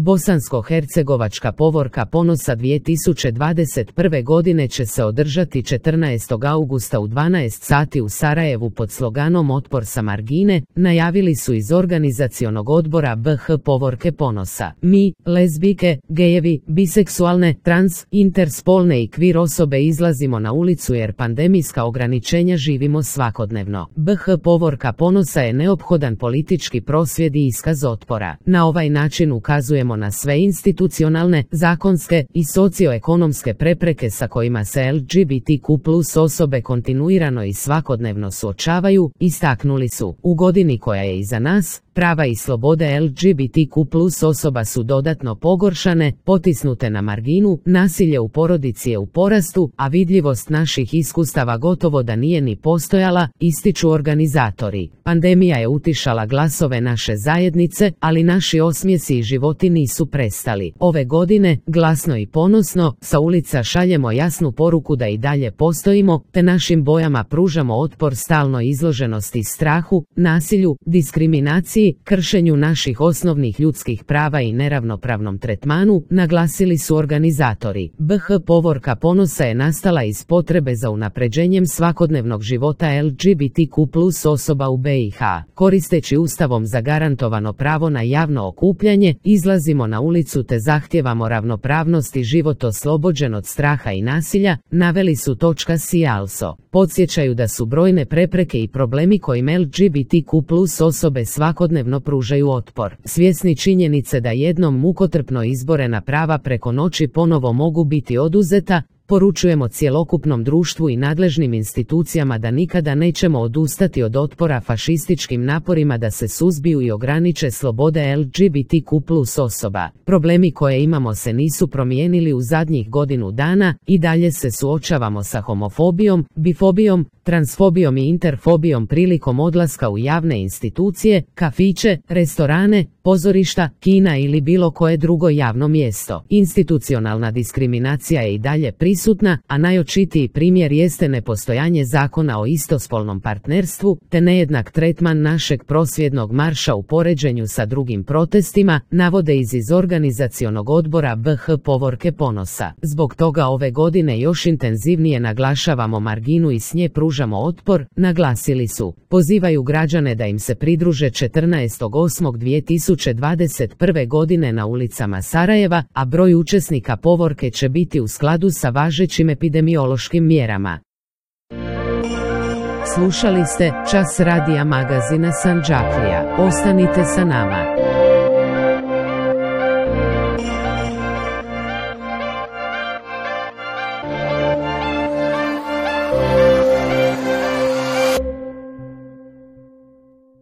Bosansko-hercegovačka povorka ponosa 2021. godine će se održati 14. augusta u 12 sati u Sarajevu pod sloganom Otpor sa margine, najavili su iz organizacionog odbora BH Povorke ponosa. Mi, lezbijke, gejevi, biseksualne, trans, interspolne i kvir osobe izlazimo na ulicu jer pandemijska ograničenja živimo svakodnevno. BH Povorka ponosa je neophodan politički prosvjed i iskaz otpora. Na ovaj način ukazujemo na sve institucionalne, zakonske i socioekonomske prepreke sa kojima se LGBTQ+ osobe kontinuirano i svakodnevno suočavaju, istaknuli su. U godini koja je iza nas, prava i slobode LGBTQ+ osoba su dodatno pogoršane, potisnute na marginu, nasilje u porodici je u porastu, a vidljivost naših iskustava gotovo da nije ni postojala, ističu organizatori. Pandemija je utišala glasove naše zajednice, ali naši osmijesi i životi nisu prestali. Ove godine, glasno i ponosno, sa ulica šaljemo jasnu poruku da i dalje postojimo, te našim bojama pružamo otpor stalnoj izloženosti strahu, nasilju, diskriminaciji, kršenju naših osnovnih ljudskih prava i neravnopravnom tretmanu, naglasili su organizatori. BH Povorka ponosa je nastala iz potrebe za unapređenjem svakodnevnog života LGBTQ+ osoba u BiH. Koristeći Ustavom zagarantovano pravo na javno okupljanje, izlazimo na ulicu te zahtijevamo ravnopravnost i život oslobođen od straha i nasilja, naveli su .si. Podsjećaju da su brojne prepreke i problemi kojim LGBTQ+ osobe svakodnevno pružaju otpor. Svjesni činjenice da jednom mukotrpno izborena prava preko noći ponovo mogu biti oduzeta, poručujemo cjelokupnom društvu i nadležnim institucijama da nikada nećemo odustati od otpora fašističkim naporima da se suzbiju i ograniče slobode LGBTQ+ osoba. Problemi koje imamo se nisu promijenili u zadnjih godinu dana, i dalje se suočavamo sa homofobijom, bifobijom, transfobijom i interfobijom prilikom odlaska u javne institucije, kafiće, restorane, pozorišta, kina ili bilo koje drugo javno mjesto. Institucionalna diskriminacija je i dalje prisutna, a najočitiji primjer jeste nepostojanje zakona o istospolnom partnerstvu, te nejednak tretman našeg prosvjednog marša u poređenju sa drugim protestima, navode iz organizacionog odbora BH Povorke ponosa. Zbog toga ove godine još intenzivnije naglašavamo marginu i s nje pružamo otpor, naglasili su. Pozivaju građane da im se pridruže 14.8.2021. godine na ulicama Sarajeva, a broj učesnika povorke će biti u skladu sa važećim epidemiološkim mjerama. Slušali ste Čas radija magazina Sandžaklija. Ostanite sa nama.